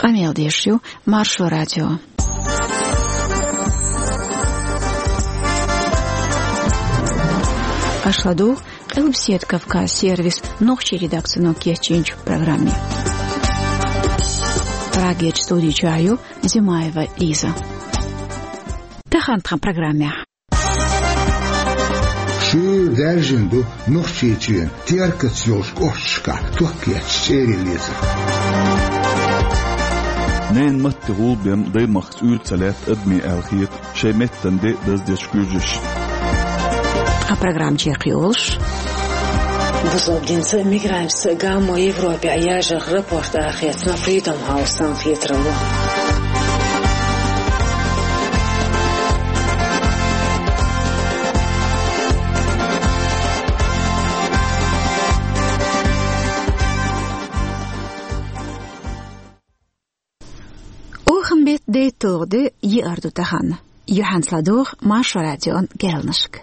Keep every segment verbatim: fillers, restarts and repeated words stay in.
Къамел деш ю Маршо радио. Аша ладугӀу Къилбаседа Кавказ сервисан нохчийн редакцино кечйинчу программе. Прагерчу студи чохь ю Зимаева Лиза. Тахана тхан программехь. Шуьйра даьржина ду Нохчийчоьнан Теркаца йолчу кӀошташкахь ток етташ чӀерийн лецар. Ненан матте гӀулбен даймахкаца уьйр ца лаьтта адамийн аьлла хета шайн меттан де даздеш куьйжаш. Ткъа программа чекхйолуш. Бусалба динца мигрантца гамо Европе яжарх рапорт арахецна Freedom House санна хетаралла. Охан беттан дейтталгӀа де, еара ду тахана. Юьхьанца ладогӀа Маршо радион керланашка.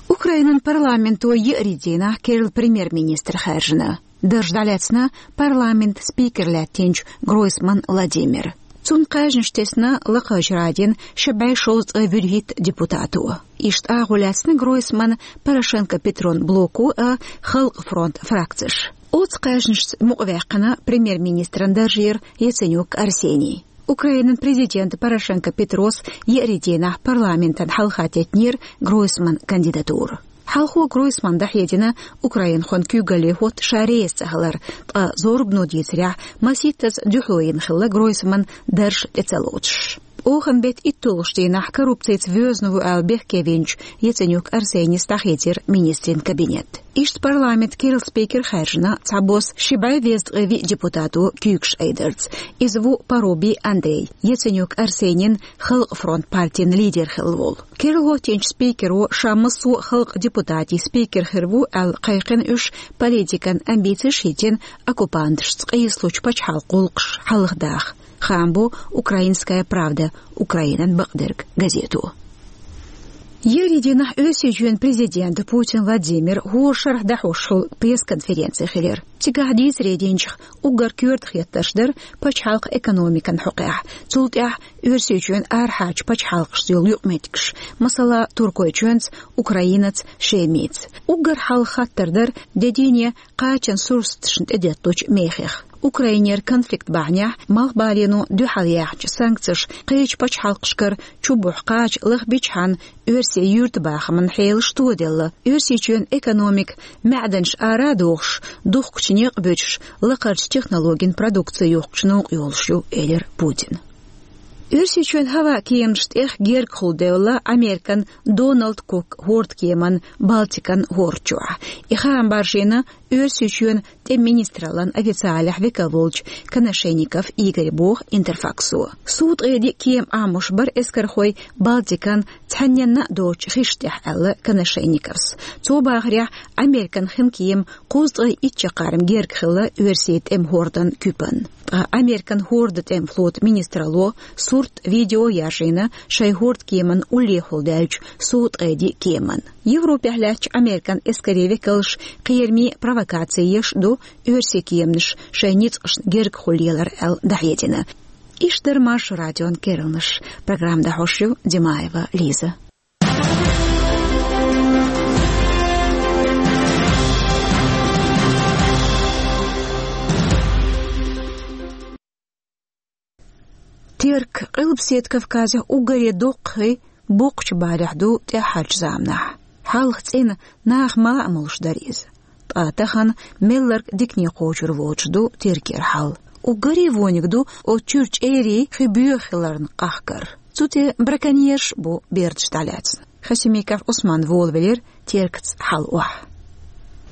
Украинан парламенто еарин дийнахь керла премьер-министр хаьржина. Дарж дӀалаьцна парламентан спикер лаьттинчу Гройсман Владимира. Цунна кхаьжнаш тесна Лакхарчу Радин ши бӀе шовзткъе вуьрхӀитта депутато. Иштта агӀо лаьцна Гройсман, Порошенко Петрон блоко а, Халкъан фронтан фракцеш. Оцу кхаьжнашца мукъаваьккхина премьер-министран даржера Яценюк Арсений. Украинан президента Порошенко Петрос еарин дийнахь парламентана хьалха теттинера Гройсман кандидатура. Хьалхо Гройсман дӀахьедина украинхойн куьйгалле хӀотта ша реза ца хилар, ткъа зорбано дийцарехь, масийттаза дуьхьал йина хилла Гройсман дарж тӀе ца лоцуш. Охан беттан итталгӀачу дийнахь коррупцица воьзна ву аьлла бехке винчу Яценюк Арсенис дӀахийцира министрийн кабинет. Иштта парламентан керла спикер хаьржина цхьабосса ши бӀе везткъе виъ депутато куьйгаш айдарца. Иза ву Парубий Андрей, Яценюк Арсенин Халкъан фронт партин лидер хилла волу. Керла хӀоттийначу спикеро ша массо а халкъан депутатийн спикер хир ву аьлла кхайкхина уьш, политикан амбицеш а хӀиттина, оккупанташца къийсалучу пачхьалкхан гӀуллакхаш хьалхадаха, хаам бо «Украинская правда», Украинан бакъдерг газето. Еарин дийнахь Оьрсийчоьнан президента Путин Владимира хӀора шарахь дӀахьош хуьлу пресс-конференци хилира. Цигахь дийцаре динчух, уггар коьрта хеттарш дара пачхьалкхан экономикан хьокъехь, цул тӀаьхьа Оьрсийчоьнан арахьарчу пачхьалкхашца йолу юкъаметтигаш, масала, Туркойчоьнца, Украинаца, Шемица. Уггар хьалха хаттар дара де дийне кхачан сурсаташна тӀедетталучу мехех. Украинера конфликт бахьанехь Малхбалено дуьхьал яьхначу санкцеша кхечу пачхьалкхашкара чу бухьу кхача лахбичхьана оьрсийн юьртабахаман хьелаш тоделла, Оьрсийчоьнан экономика маьӀданаш ара а дохуш, духкучу некъ а буьтуш, лакхарчу технологийн продукци юхкучу новкъа йолуш ю, элира Путина. Оьрсийчоьнан хӀаваан кеманаш тӀех гергахула девлла Американ Дональд Кук хӀордкеман Балтикан хӀорда чохь. И хаам баржийна Оьрсийчоьнан тӀеман министраллан официалехь векал волчу Коношенников Игоря, боху Интерфаксо. Сув-ткъе диъ кема Ӏамош бара эскархой Балтикан цхьанненна а доцучу хиш тӀехь, аьлла Коношенниковс. Цо бахарехь, Американ хин кема кхузткъе итт чаккхарма герга хилла оьрсийн тӀеман хӀордан куьпан. Ткъа Американ хӀордан тӀеман флотан министралло сурт, видео яржийна шайн хӀордкеман уллехула даьллачу сув-ткъе диъ кеман. Европехь лаьттачу Американ эскарийн векалш кхераме провокаци еш а ду, оьрсийн кеманаш шайн ницкъашна гергахула лелар аьлла дӀахьедина. Иштта дара Маршо радион керланаш. Программа дӀахьош ю Димаева Лиза. Терк Къилбаседа Кавказехь уггаре доккхий, боккхачу балехь ду тӀаьххьарчу заманахь. Хьалха цӀена наха мала а молуш дара иза. Ткъа тахана мелларг дикане кхочур воцуш ду Теркера хьал. Уггаре вониг ду оцу чуьра чӀерий хи боьха хиларна къахкар. Цу тӀе браконьерш а бу бердаш дӀалаьцна. Хасимиков Ӏусман волавелира Теркаца хьал охьа.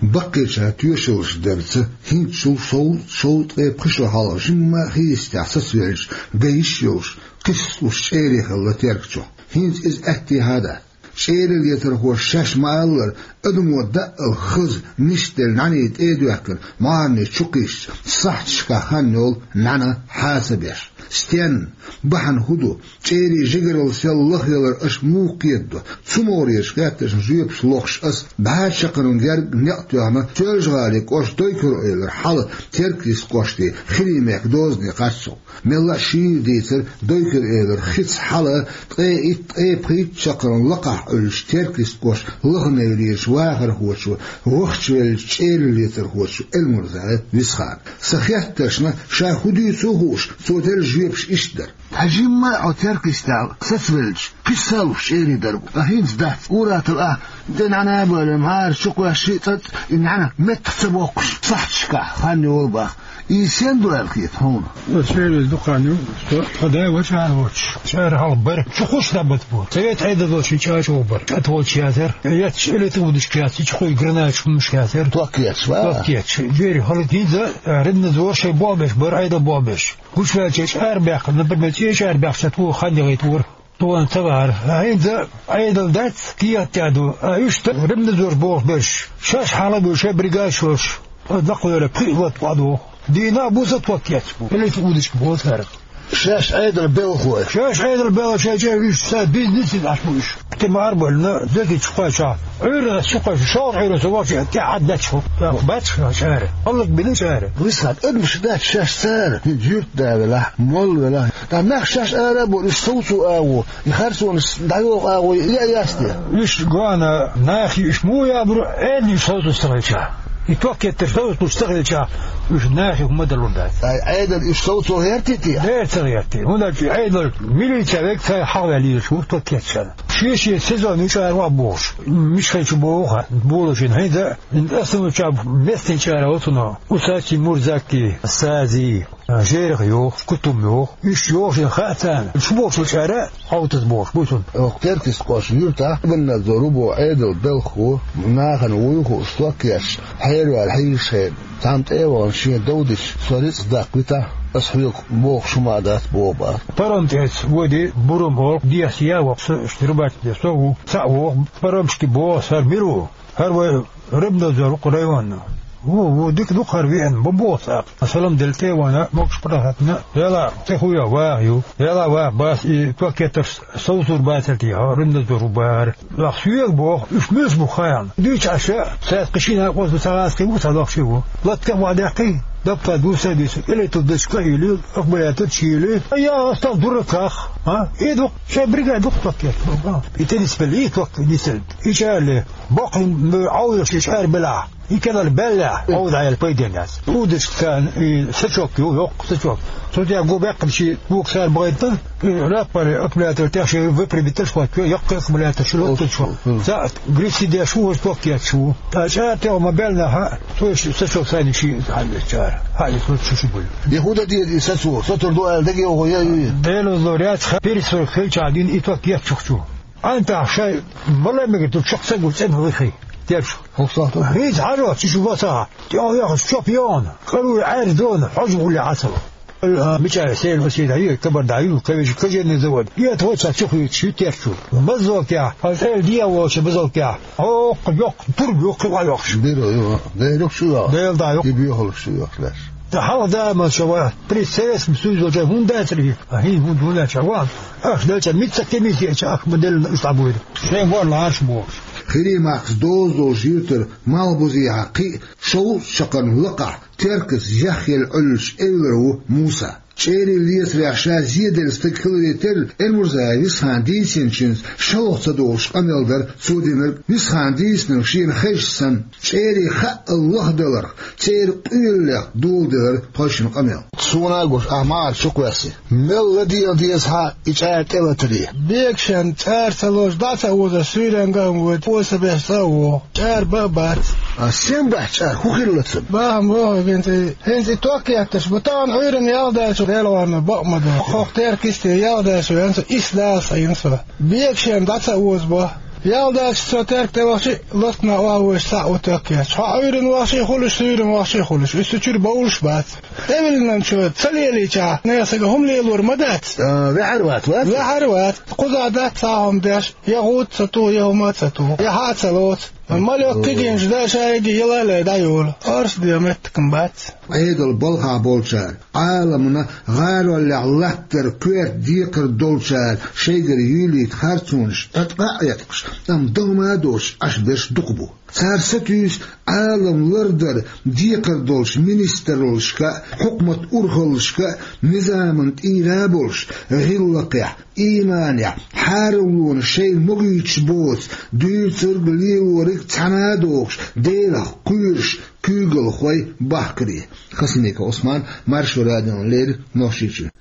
Баккхийчара тоьшаллаш дарца, хӀинцачул шовзткъе пхи шо хьалха жимма а хи йистехь сацавеллачу, ган йиш йолуш, кхисталуш чӀерий хилла Терка чохь. ХӀинца иза аьттехьа а дац. ЧӀерий лецархоша шаьш ма-аллара, адамо даъал хаза, нисделла нӀаьний тӀе а доьхкина, марни чу кхиссича, сахьташкахь хан йолу нӀаьна хьа ца беш. Стенна, бахьана хӀун ду? ЧӀерийн жигаралла сел лахъялар аша муха кхетадо? Цу могӀарерчу хаттаршна жоьпаш лохуш ас бӀе шо чаккхарма герга некъ тоьхна Соьлжа-ГӀалин кӀоштан Дойкур-Эвлара хьала Теркйист кӀоштан Хиримехк дозане харцо. Мелла а шийла дийцар, Дойкур-Эвлара хица хьала ткъе итт, ткъе пхийтта чаккхарма лакхахь Ӏуьллучу Теркйист кӀоштан Лаханевлерчу вахархочо, вахчавеллачу чӀералла лецархочо Эльмурзаев Висхана. Сан хеттаршна, ша хӀун дуьйцу а хууш, цо делла жоьпаш иштта дара: «Хьажийла хьо Теркйистехь сацавелча, кхин а салуш чӀерий дара бу. Ткъа хӀинца дац, ур-атталла ахь, де нӀана а бевлла, мӀара чу кхоьссича а цӀа, и нӀана меттах ца боккхуш, сахьташкахь хан йолу бах. Иза сен ду аьлла хета хьуна?» Аса чӀерий дукха хан ю, со, тхан да вачу ара воцуш. ЧӀара хьалха бара, чу кхуш дӀабата бу. Совет Ӏедалло шен чӀа чӀогӀа бара. КӀатволчу яцара, эцча элита удашка яц, чу кхуьй гранаташ хӀуманаш яцара. Ток етташ, ва? Ток етташ. Дери хӀаллакдинза, а, Римнадзор шайн болх беш бара, Ӏедал болх беш. Гучуваьлча чӀара баьккхина, например, цӀе чӀара баьккхича, тхо хан яхийта вара. Тхуна ца вахара. А хӀинца Ӏедал дац, кехат тӀехь ду. А уьш дан Римнадзор болх берш. Шаьш хьалха а бу, шайн бригадаш йолуш. Дакъа вера, пхиъ латта къа ду. Дийнахь а бу, сан ток етташ бу. Элита удашка боху цара. Шаьш Ӏедалан белхалой. Шаьш Ӏедалан белхалой, шайн чӀерий уьш, сан бизнес а Ӏаш бу уьш. Тима арбална, декичу кхойчахь. Ӏуьйранна чу кхойчу, шолгӀа Ӏуьйранна со вахча, тӀаьхьа детташ хӀу. Бац ша чӀара. ХӀаллакбина чӀара. Висхана, адамаш дац шаьш цара. Юьртда велахь, молла велахь. Ткъа нах шаьш ара а бу, уьш совцо агӀо. И харцонаш дӀайоху агӀо, я яц те? Уьш гоьна нахе уьш муха ябур, Ӏедална уьш совцо ца хилча. И ток еттар совцо ца хилча, уьш нахе хӀума далур дац. Ай, Ӏедал уьш совцо гӀерти те? Дера ца гӀерти. ХӀунда аьлча Ӏедал милиция вега ца хьахаваьлла йийраш ву ток етташ. Шен-шен сезон ю чӀара ваха бохуш. Мишхайчу боху хан, болашина хӀинца, аса ма чаб местный чӀара оцуно. Усачи, Мурзаки, Сази. Жерах йоху, Кутум йоху. Уьш йоху шайн хаа царна. Шу бохучу чӀара Ӏовтаз бохуш бу цунна. Оха Теркйист кӀоштан юьртахь Римнадзор ву боху Ӏедалан белхахо, нахана вуй хууш, ток етташ, хьераваьлла хьийзаш хенахь, цхьамма тӀе а вахана шен дов дича, со рицкъ даккхавитахь, аса хьоьга бохуш хӀума а дац боху бах. Паром тӀе эца воьдий, Бурум олу, дехьа яа воккху, ша рыбачить деш со ву. Цхьаъ воху, паромчики боху, хӀара мила ву? ХӀара вай Римнадзор ву-кх районна. Ву, ву, дика ду-кх хӀара веана, бан боху цкъа. Салам делла тӀе а вахана, могуш-паргӀат хӀоттийна, Дела, кхин хӀун йо, ваха ю. Дела, ваха, бац, и ток еттарш совцур бацара те, хьо Римнадзор ву бахара. Ваха соьга боху, уьш муьлш бу хаийна. Дуьйцу Ӏаш, цаьрца кхин шина а кхузза ца гӀазкхий ву, ца лохчий ву. Латта а ваха даьккхий, дапта дуьйцу а дуьйцу, элита удашка а йиллий, аккумулятор чу йиллий. Я, астал дураках, а? И ду-кх, шайн бригада ду-кх ток етташ. И теннис беллий, и ток нисделла. И чӀара ле. Боккхий Ӏовдалш и чӀара белахь, и кӀелара баьллехь, Ӏовда Ӏела пайденна яц. Удашка царна и сачок ю, йоккха сачок. Цу тӀехь гу баьккхина ши гука цара бахийтина, и раппаре аккумулятор тӀехь шен выпрямитель хӀоттайо, яккхий аккумулятор шу лоттуш хӀо. Цхьаъ грифси деш ву, хӀорш ток етташ ву. Ткъа чӀара тӀехь ма баьллехь, цо и сачок сайна ши хьаьвзачара. Хьаьвза шу шу буй. И хӀун дан деза и сацо? Сацур ду аьлла дагайогӀу я ю? Делазло ряц ха, перестройка хилчахь дина и ток етташ ву. Ӏантахь шайн бала мегар ду чекх ца гуш цӀена вихий. Дерш. ХӀокху сахьтехь. ХӀинца хьажа, чу шу бацахьа. ТӀехь яхаш чоп йогӀана. КӀаруй Ӏаьржа дона, хьожа гӀулле Ӏа ца ло. А, мичара сел васийта ю, кабар дӀа ю, кавижа кожаный завод. И это вот ца чу хуьйцуш ю терчу. Баззолтехь, хьан цӀел дехьа волчу баззолтехь. Хьо оккха йоккха, турба йоккха ва йохуш. Бира ю, Дела шу йоху. Дела дӀа йоккха. И бехалуш шу йоху леш. Ткъа хьалха да ма ша ва, при Советском Союзе волча хӀунда дацара и? А хӀин хӀунда хӀунда ша ва? Ах, делча, митца кемис еча ах ма делла уьш дӀабуйра. Шайн гор ларш бохуш. Хиримахкас доза долу жиртара Малхбузехьа кхин а шовзткъа чаккхарма лакхахь, Теркас яхъелла Ӏуьллучу эвлара ву Муса. ЧӀерий лецарехь ша зеделла стаг хиларе терра, Эльмурзаев Висхана дийцинчуьнца шалха ца долуш къамел дара цо динарг. Висхана дийцинарг шена хезча санна, чӀерий хаъал лахадаларх, церан къоьллех доладелира тхойшинна къамел. Суна а гуш, ахь мӀара чу кхоьссина. Мел ладегӀа деза хьан и чӀара тӀелатаре? Бегашен чӀара ца лозуш, дӀа ца озуш, суьйренга а воьду, оса беш цӀа а вогӀу. ЧӀара бан а бац. А сен бац чӀара, хӀун хилла ца? Бахьана боху хӀинца и, хӀинца и ток етташ бу. Тахана Ӏуьйранна ял даьлча, Делан гӀорна бакъ ма ду. Хьох Теркисте ял даьлча венца, исс Дала схьайина со. Бегашен дӀа ца озабо. Ял даьлча со Терк тӀе вахча, латкана охьавоьжуш цхьаъ ву ток етташ. Хьо Ӏуьйранна вахча а хуьлуш, суьйранна вахча а хуьлуш. Уьш цу чуьра бовлуш бац. ТӀевиллинчо ца лелийчахь, нехан сага хӀума лелор ма дац. А, ваьхьар вац, вац? Ваьхьар вац. Кхузахь дац цхьа хӀума деш, я гӀуд ца туху, я хӀума а ца туху, я хьа а ца лоцу. Мале кхигинчу да шайга ялале дӀайолу, оршде меттакам бац. Ӏедал балхахь болчара, Ӏаламна гӀароллехь латтар коьрта декхар долчара шайгара юьйлийта харцонаш тӀе а Ӏеткъаш, амма дан ма доцуш Ӏаш берш дукха бу. Цара сатуьйсу Ӏалам лардар декхар долчу министраллашка а, хьукмат урхаллашка а, низаман тӀера а болуш, гӀиллакхехь, ийманехь, хьараллонаш шайна могуьйтуш боцу, дуьйцург, лелориг цхьаьна а дохуш, Делах кхоьруш куьйгалхой бахкаре. Хасимиков Ӏусман, Маршо радиона леррина, Нохчийчоь.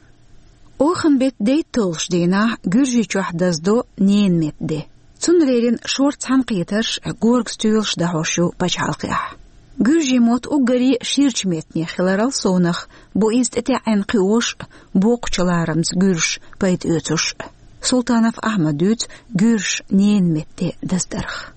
Оханан беттан дейтталгӀачу дийнахь Гуьржийчохь даздо ненан меттан де. Цунна леррина шорта цхьаьнакхетарш, горга стоьлаш дӀахьош ю пачхьалкхехь. Гуьржийн мотт уггаре ширачу меттанех хиларал совнах, бу иза тӀетаьӀӀина кхиош а, боккхачу ларамца гуьржаша пайда оьцуш а. Султанов Ахьмада дуьйцу гуьржаша ненан меттан де даздарх.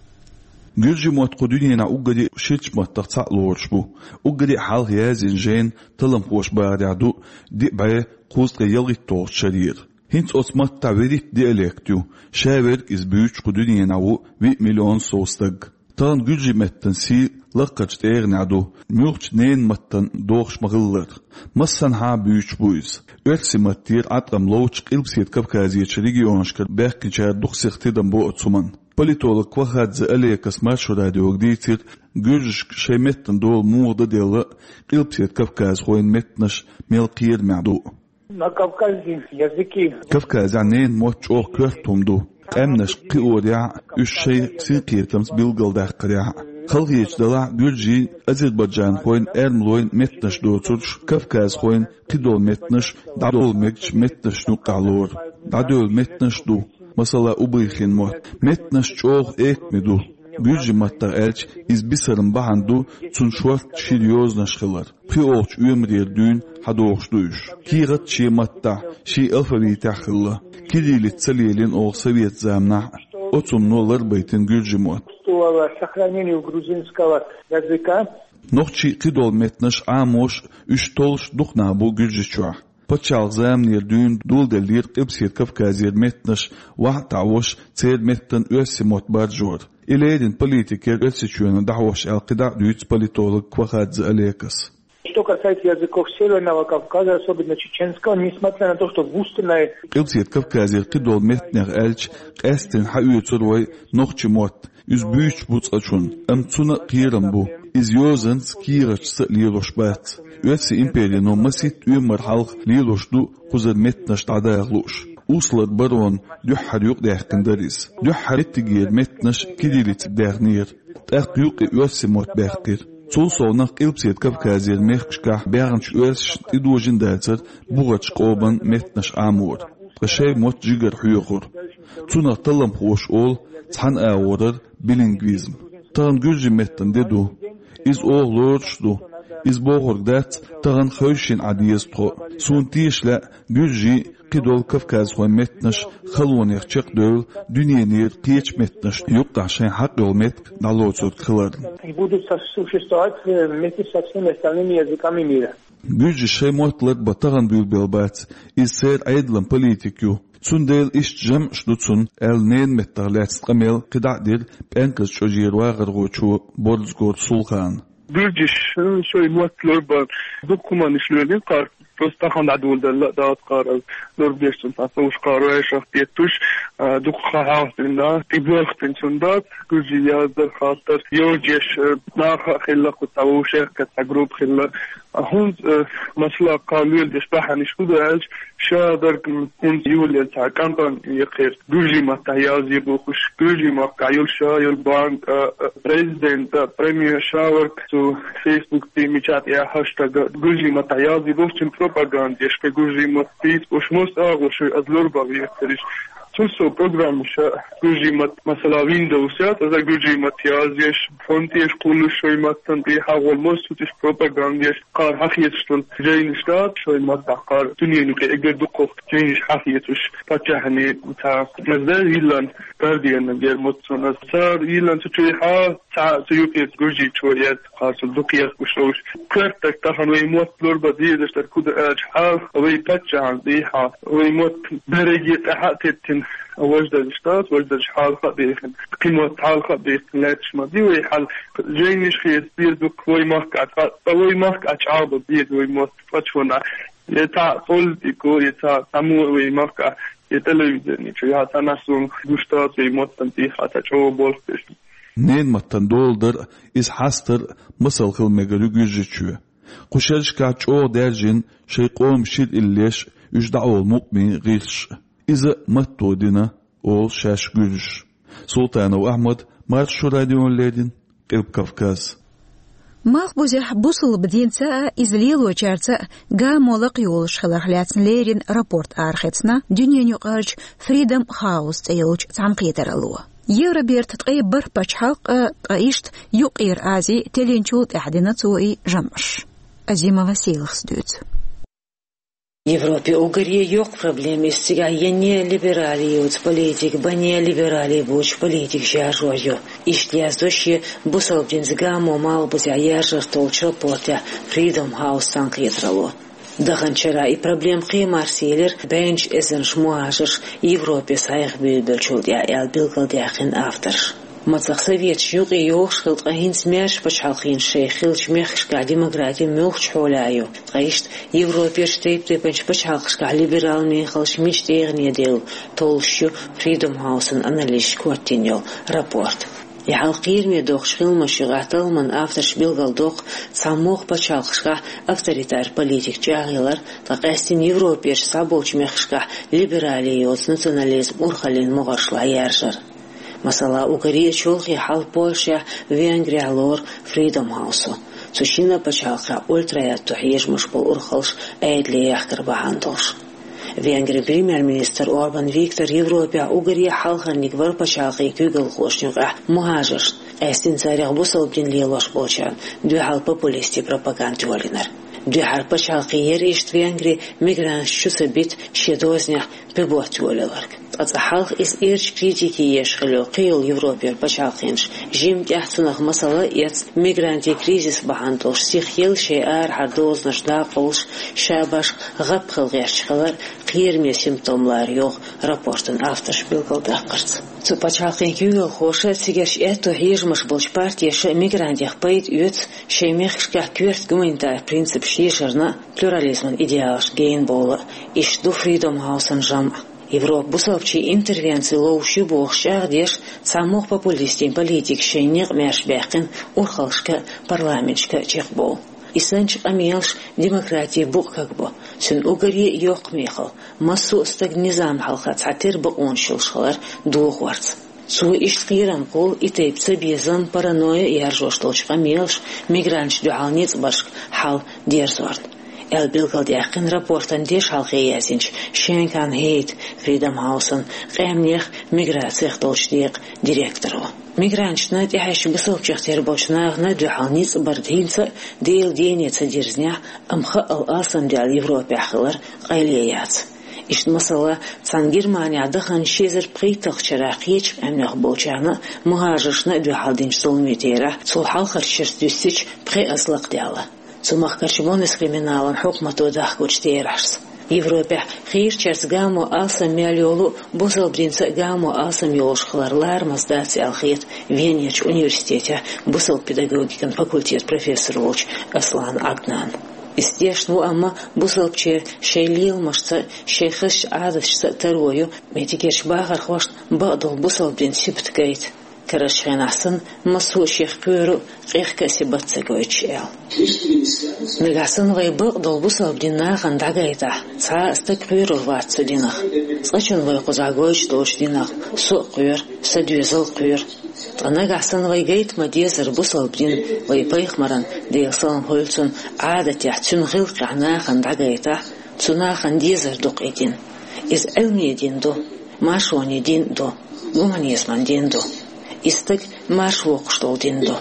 Гуьржийн мотт кху дуьненахь уггаре ширачу маттах цхьаъ лоруш бу. Уггаре а хьалха язйина жайна талламхоша бахарехь ду диъ бӀе кхузткъе ялхитталгӀачу шарера. ХӀинца оцу маттахь вуьрхӀитта диалект ю, ша верг иза буьйцуш кху дуьненахь ву виъ миллион сов стаг. Тахана гуьржийн меттан сий лакхарчу тӀегӀанехь ду, муьлххачу ненан маттана дохуш ма-хиллара. Массанхьа а буьйцуш бу иза. Оьрсийн маттера Ӏаткъам ловчу Къилбаседа Кавказерчу регионашкара баьхкинчара дукха сиха тидам бо оцу хӀуманна. Политолог Квахадзе Олекас Маршо радиога дийцира, гуьржашка шайн меттан дола муха дан делла а, Къилбаседа Кавказхойн меттанаш мел кхерамехь ду а. На Кавказе языки. Кавказехь ненан мотт чӀогӀа коьрта хӀума ду. Къаьмнашка кхиорехь а, уьш шайн синкхетамца билгалдаккхарехь а. Халахеташ делахь а, гуьржийн, азербайджанхойн, эрмалойн меттанаш доцурш, кавказхойн кхидолу меттанаш дӀадовла мегачу меттанашна юккъехь лору. ДӀадевлла меттанаш а ду, масала, убыхин мотт. Меттанаш чӀогӀа экаме ду. Гуьржийн маттахь аьлча, иза бисаран бахьана ду цунна шортта шира йозанаш хилар. ПхоьалгӀачу оьмарера дуьйна схьадогӀуш ду уьш. КехатӀа шен маттахь, шен алфавитехь хилла. Кириллица ца лелийна оха совет заманахь а. Оцу хӀумано ларбайтина гуьржийн мотт. Существовало сохранение грузинского языка. Нохчийн кхидолу меттанаш Ӏамош а, уьш толлуш а дукха нах бу Гуьржийчохь. Пачхьалкхан заманера дуьйна доладеллера Къилбаседа Кавказера меттанаш вахьа а таӀош, церан меттан оьрсийн мотт баржор. И леррина политикера Оьрсийчоьнна дӀахьош аьлла кхидӀа а дуьйцу политолог Квахадзе Олекас. Что касается языков Северного Кавказа, особенно чеченского, несмотря на то, что в устной... Къилбаседа Кавказера кхидолу меттанех аьлча, къаьсттина схьаоьцур вай нохчийн мотт. Иза буьйцуш бу цкъачунна, амма цунна а кхерам бу. Иза йозанца, кехаташца а лелош бац. Оьрсийн империно масийтта оьмар хьалха лелош ду кхузара меттанаш дӀадаха лууш. Услар баронна дуьххьара юкъадаьккхина дара иза. Дуьххьара меттигера меттанаш кириллица даьхнера. ТӀаккха юккъе оьрсийн мотт баьккхира. Цул совнах Къилбаседа Кавказера мехкашкахь баьхначу оьрсашна тӀедожийна дацара бухарчу къоман меттанаш Ӏамор. Ткъа шайн мотт жигара хьоьхура. Цунах талламхоша олу цхьана агӀорара билингвизм. Тахана гуьржийн меттан де ду. Иза оха лоруш а ду. Иза бохург дац, тахана хевшина Ӏа деза тхо. Суна теша лаьа, гуьржийн, кхидолу кавказхойн меттанаш халонех чекхдевлла, дуьненера кхечу меттанашна юккъехь шайн хьакъ йолу меттиг дӀалоцург хиларна. И будут со-, существовать, э, вместе со всеми остальными языками мира. Гуьржаша шайн мотт ларбан тахана буьйлабелла бац, иза церан Ӏедалан политика ю. Цундела иштта жамӀаш ду цунна, аьлла, ненан меттах лаьцна къамел кхидӀа а дира ПӀенказ чӀожера вахархочо Борзагора Сулхана. Гуьржаша шайн мотт ларбан дукха хӀуманаш лоьрийн кхара, просто тахана дӀадоладелла а дац кхара, ларбеш цунна цхьа совш кхара вайшах теттуш, а, дукха хан хьалха дина, тӀебоьлху цунна дац, гуьржий яздар хаттар, йожеш, а, наха а хилла, кху цхьа вовшех а цхьа группа хилла. А хӀунда, а, масала, кхара лоьлдеш бахьанаш хӀун ду аьлча, ша дерг, м, хӀунда юлел цхьа кампани яхира, гуьржийн маттахь язъе бохуш, гуьржийн махкахь йолу ша йолу банк, а, а, президент, а, премьер ша верг цу Facebook-ций мичахь тӀехь хэштаг гуьржийн маттахь язъе бохуш, цуьнан пропаганда еш, кхин гуьржийн мотт дийца бохуш, мосазза агӀо шуьга аса лорбан вехира. Цуьнан со программаша гуьржийн мотт, масала, Windows яц, аса гуьржийн мотт язъеш, фонтеш кхуллуш шайн маттана тӀе хьагӀол, мосазза цуьнан пропаганда еш, кхара хьахецаш долу жайнаш дац шайн маттахь, кхара дуьненан юкъе эггара дукхах жайнаш хьахецаш паччахьна цхьа. Аса дан йиллина Гардианна гермуццун аса. Цара йиллина цу чуьйхьа цхьа цу юкъе гуьржийчо яц, кхара цунна дукха ехкуш ловш. Коьртаг тахана вай мотт лорбан дезаш дерг хӀун ду аьлча, хьал вай паччахьна тӀехьа, вай мотт берриге тӀаьхьа а теттина, Важа дерриш дац, важа дерриш хьалха а бехина, кхин мотт хьалха а бехина лаьтташ ма ди вай хьал. Жайнаш хеташ дера дукха вай махка, ткъа, ткъа вай махка чӀагӀбан дера вай мотт цкъача хӀаман. Я цхьа политико, я цхьа цхьаммо вай махка, я телевидени чу, я цхьа наьсарна гуш дац вай маттан тӀехьа цхьа чӀогӀа болх беш. Ненан маттан дола дар а, иза хьастар а масал хила мегар ю Гуьржийчоь. Кху шерашкахь чӀогӀа даьржина шайн къоман шира иллеш, уьш дӀаолу мукъамийн гӀирсаш. Иза матто дина, олу шаьш гуьржаша. Султанов Ахьмад, Маршо радиона леррина, Къилба Кавказ. Малхбузехь бусалба динца а, иза лелочаьрца а гамо лакхайолуш хиларх лаьцна леррина рапорт арахецна дуьненаюкъарчу Freedom House цӀе йолчу цхьаьнакхетаралло. Евроберта ткъе бархӀ пачхьалкх а, ткъа иштта Юккъера Ази теллинчул тӀаьхьа дина цо и жамӀаш. Азимова Селахас дуьйцу. Европе уггаре йоккха проблема иза цигахь я неолиберале йоцу политика, я неолиберале боцу политика шаржор ю. Иштта яздо шен бусалба динца гамо малхбузехь яржарх толлучу рапортехь Freedom House цхьаьнакхетаралло. Даханчу шарахь и проблема кхин а марсаелира, бӀеннаш эзарнаш мухӀажарш Европе схьаэха буьйлабеллачул тӀаьхьа, аьлла билгалдаьккхина авторша. Мацах советаш юкъе йогӀуш хилла, ткъа хӀинца маьрша пачхьалкхаш шайх хиллачу мехкашкахь демократи муьлхачу хьолехь ю, ткъа иштта Европерчу тайп-тайпанчу пачхьалкхашкахь либерал мехаллаш мича дегӀане девлла толлуш ю Freedom House-ан анализаша коьртина йолу рапорт. И хьал кхераме доккхуш хиламаш юкъахь талламан авторша билгалдоккху, цхьамогӀа пачхьалкхашкахь авторитар политика чӀагӀъялар, ткъа къаьстина Европерчу цхьаболчу мехкашкахь либерале йоцу национализм урхаллин могӀаршлахь яржар. Масала, уггаре а чолхе хьал Польшехь, Венгрехь лору Freedom House-о. Цу шина пачхьалкхехь ультра-аьтто хьежамаш болу урхаллаш Ӏедале яхкар бахьана долуш. Венгрин премьер-министр Орбан Виктор Европехь уггаре а хьалхарниг вара пачхьалкхийн куьйгалхошна юкъахь мухӀажаршна, къаьстина царех бусалба дин лелош болчарна дуьхьал популистийн пропаганда йолийнарг. Дуьххьара пачхьалкх яра иштта Венгри мигранташ чу ца бита шен дозанехь пуьбот йолаяларг. Ткъа цкъа хьалха иза эрча критике еш хилла йолу кхин йолу Европера пачхьалкхаш жимма тӀаьхьа цунах масала а эцна, мигрантийн кризис бахьана долуш сихъелла шайн арахьара дозанаш дӀакъовлуш, ша башха гӀап хила гӀерташ хилар кхераме симптом лара йогӀу рапортан авторша билгалдаккхарца. Цу пачхьалкхийн куьйгалхоша, цигарчу аьтто хьежамаш болчу партеша мигрантех пайда оьцу, шайн мехкашкахь коьрта гуманитар принципаш ешарна а, плюрализман идеалашна гена бовла а, иштта ду Freedom House-ан жамӀ. Европа бусалбачийн интервенци ловш ю бохуш чӀагӀдеш, цхьамогӀа популистийн политикаша шайн некъ маьрша баьккхина урхаллашка а, парламенташка а чекхбовла. И санчу къамелаш демократин букъ кагбо. Цуьнан уггаре а йоккха мехалла, массо а стаг низам хьалха цхьа тера бакъонаш йолуш хилар дохорца. Цо иштта кхерам кхуллу и тайпа цабезам, паранойя яржош долчу къамелаша мигранташна дуьхьал ницкъ баршка хьал дерзорна, аьлла билгалдаьккхина рапортан дешхьалхе яздинчу Шенкан Хейт, Freedom House-ан къаьмнех, миграцех долчу декъан директоро. Мигранташна, тӀаьхьаьжча бусалбачех тера болчу нахана дуьхьал ницкъ бар хӀинца а Делан дене ца дирзинехь, амма хаъал алсамдаьлла Европехь хилар къайле яц. Иштта масала, цхьана Германехь даханчу ши эзар пхийтталгӀачу шарахь кхечу къаьмнех болчарна а, мухӀажаршна а дуьхьал динчу зуламийн терахь, цул хьалхарчу шерашца дуьстича, пхи аз лакхадаьлла. Цу махкарчу Буннескриминалан хьукмато дахкочу терахьашца. Европехь хийрачаьрца гамо алсам мел йолу а, бусалба динца а гамо алсам йолуш хилар ларамаза дац аьлла хета Венерчу университетехь бусалба педагогикан факультетан профессор волчу Аслан Ӏаднана. Иза тешна ву, амма бусалбачеран шайн леламашца а, шайн хазачу Ӏадаташца а таро ю меттигерчу бахархошна бакъдолу бусалба динан сибат гайта, карарчу хенахь санна массо а шех кхоьру а, къехка а сибат ца гойтуш, аьлла. Нагахь санна вай бакъдолу бусалба динан нахана дӀагайтахь, цхьа а стаг кхоьрур вац цу динах. Цкъачунна вай кхузахь гойтуш долчу динах со а кхоьру, сан доьзал а кхоьру. Ткъа нагахь санна вай гайта ма-деззара бусалба дин, вай пайхамаран, Делан салам хуьлда цунна, Ӏадатехь, цуьнан гӀиллакхехь нахана дӀагайтахь, цу нахана дезар ду-кх и дин. Иза Ӏилман дин ду, маршонан дин а ду, гуманизман дин а ду. И стаг марша воккхуш долу дин ду.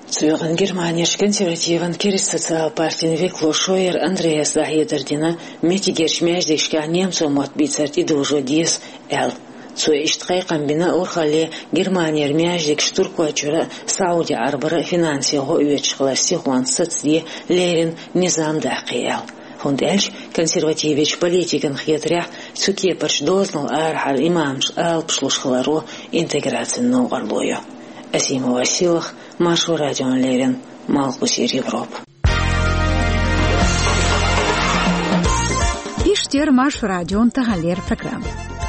Цу юкъана Германерчу консервативан Керста социал партин векало Шойер Андреас дӀахьедар дина, меттигерчу маьждигашкахь немцойн мотт бийцар тӀедожо деза аьлла. Цо иштта кхайкхам бина урхалле Германера маьждигаш Туркойчуьра а, Сауди-Ӏарбара а финансийн гӀо оьцуш хилар сихонца сацаде, леррина низам даккхий аьлла. ХӀунда аьлча консервативечу политикан хетарехь, цу кепарчу дозанал арахьара имамаш алапаш луш хиларо интеграцин новкъарло ю. Асима Василах, Маршо радиона леррина, Малхбузера Европа. Иштта яра Маршо радион таханлера программа.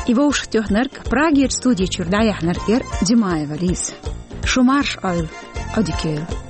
И вовшахтоьхнарг, Прагерчу студи чуьра дӀаяьхьнарг яра Димаева Лиза. Шу марша Ӏойла, Ӏодика йойла.